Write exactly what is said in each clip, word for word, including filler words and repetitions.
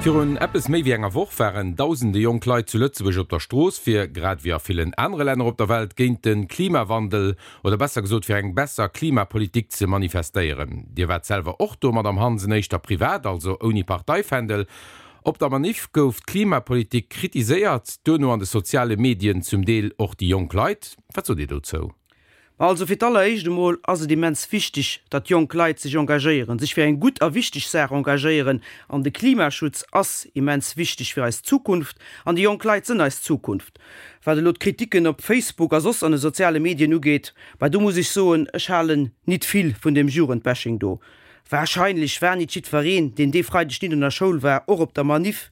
Virun eppes méi wéi enger Woch waren dausende jonk Leit zu Lëtzebuerg op der Strooss, fir, grad wéi a villen anere Länner op der Welt, géint de Klimawandel, oder besser gesot fir eng besser Klimapolitik ze manifestéieren. Dir waart selwer och do, Madamm Hansen, éischter privat, also ouni Parteifändel. Op der Maniff gouf d'Klimapolitik kritiséiert, duerno an de soziale Medien zum Deel och déi jonk Leit. Wat sot Dir dozou? Also fir d'alleréischt emol ass et immens wichteg, datt jonk Leit sech engagéieren, sech fir eng gutt a wichteg Saach engagéieren. An de Klimaschutz ass immens wichteg fir eis Zukunft. An déi jonk Leit sënn eis Zukunft. Wat elo d'Kritiken op Facebook a soss an de soziale Medien ugeet, bah do muss ech soen, ech halen nit vill vun deem Jugendbashing do. Warscheinlech war nit jiddwereen, deen dee Freideg nit an der Schoul war, och op der Maniff.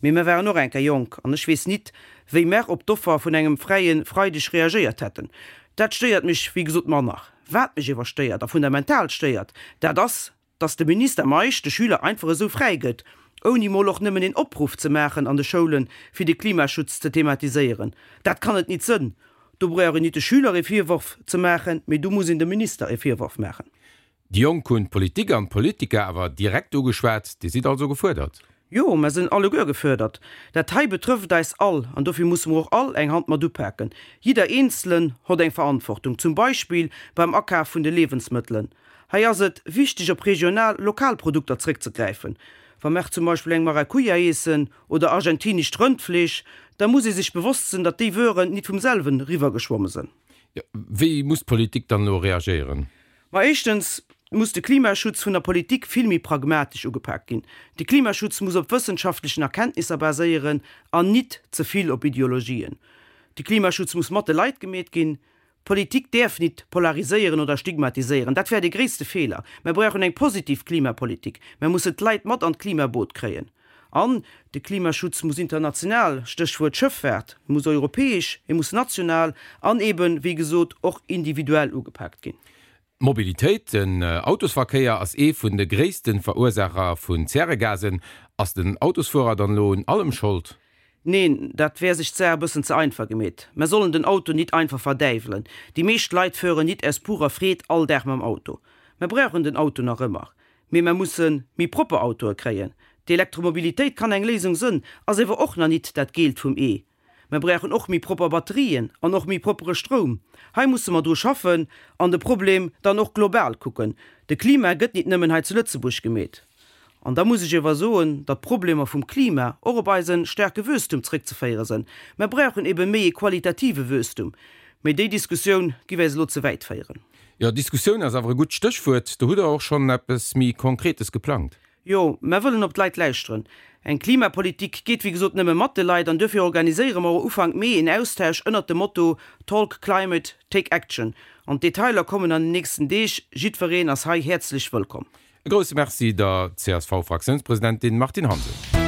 Mee mer waren och eng Kéier jonk an ech weess nit, wéi mer op d'Offer vun engem fräie Freideg reagéiert hätten. Dat stéiert mech wéi gesot manner. Wat mech ewer stéiert a fundamental stéiert, dat ass, dass de Minister Meisch de Schüler einfach esou fräi gëtt, ouni mol och nëmmen een Opruff ze maachen an de Schoulen, fir de Klimaschutz ze thematiséieren. Dat kann et nit sënn. Do brauch een nit de Schüler ee Virworf ze maachen, mee do muss een dem Minister ee Virworf maachen. Déi Jonk hunn d'Politik an d'Politiker awer direkt ugeschwat. Dir sidd also gefuerdert? Jo, mer sënn alleguer gefuerdert. Dat hei betrëfft eis all an dofir musse mer och all eng Hand mat upaken. Jidder Eenzelen hott eng Verantwortung, zum Beispill beim Akaf vun de Liewensmëttelen. Hei ass et wichteg op regional, lokal Produkter zréckzegräifen. Wa mer zum Beispill eng Maracuja iessen oder argentinescht Rëndfleesch, da muss ee sech bewosst sënn, datt déi Wueren nit vum selwen riwwergeschwomme sënn. Jo, wéi muss d'Politik dann elo reagéieren? Ma éischtens muss de Klimaschutz vun der Politik vill méi pragmatesch ugepak ginn. De Klimaschutz muss op wëssenschaftlechen Erkenntnisser baséieren an nit ze vill op Ideologien. De Klimaschutz muss mat de Leit gemeet ginn. Politik däerf nit polariséieren oder stigmatiséieren. Dat wär de gréisste Feeler. Mer brauchen eng positiv Klimapolitik. Mer mussen d'Leit mat an d'Klimaboot kréien. An de Klimaschutz muss international, Stéchwuert Schëffaart, e muss europäesch, e muss national an eben, wéi gesot, och individuell ugepaakt ginn. D'Mobilitéit, den Autosverkéier ass ee vun de gréisste Verursaacher vun Zäregasen. Ass den Autosfuerer dann elo un allem Schold? Neen, dat wär sech d'Saach e bëssen ze einfach gemeet. Mer sollen den Auto nit einfach verdäiwelen. Déi meescht Leit fueren nit aus purer Freed all Dag mam Auto. Mer brauchen den Auto nach ëmmer, mee mer musse méi propper Autoe kréien. D'Elektromobilitéit kann eng Léisung sënn, ass ewer och nach nit dat Geelt vum Ee. Mer brauchen och méi propper Batterien an och méi proppere Stroum. Hei musse mer dru schaffen an de Problem dann och global kucken. De Klima gëtt nit nëmmen hei zu Lëtzebuerg gemeet. An da muss ech ewer soen, datt d'Problemer vum Klima och op eise staarke Wuesstum zréckzeféiere sënn. Mer brauchen ebe méi e qualitative Wuesstum. Mee déi Diskussioun giff eis elo ze wäit féieren. Jo, Diskussioun ass awer e gutt Stéchwuert. Do hutt Der och schonn eppes méi Konkretes geplangt. Jo, mer wëllen op d'Leit lauschteren. Eng Klimapolitik geet wéi gesot nëmme mat de Leit an duerfir organiséiere mer och Ufank Mee een Austausch ënnert dem Motto Talk Climate, Take Action. An d'Detailer kommen an den nächsten Deeg. Jiddwereen ass hei häerzlech wëllkomm. E grousse Merci der C S V-Fraktiounspresidentin Martine Hansen.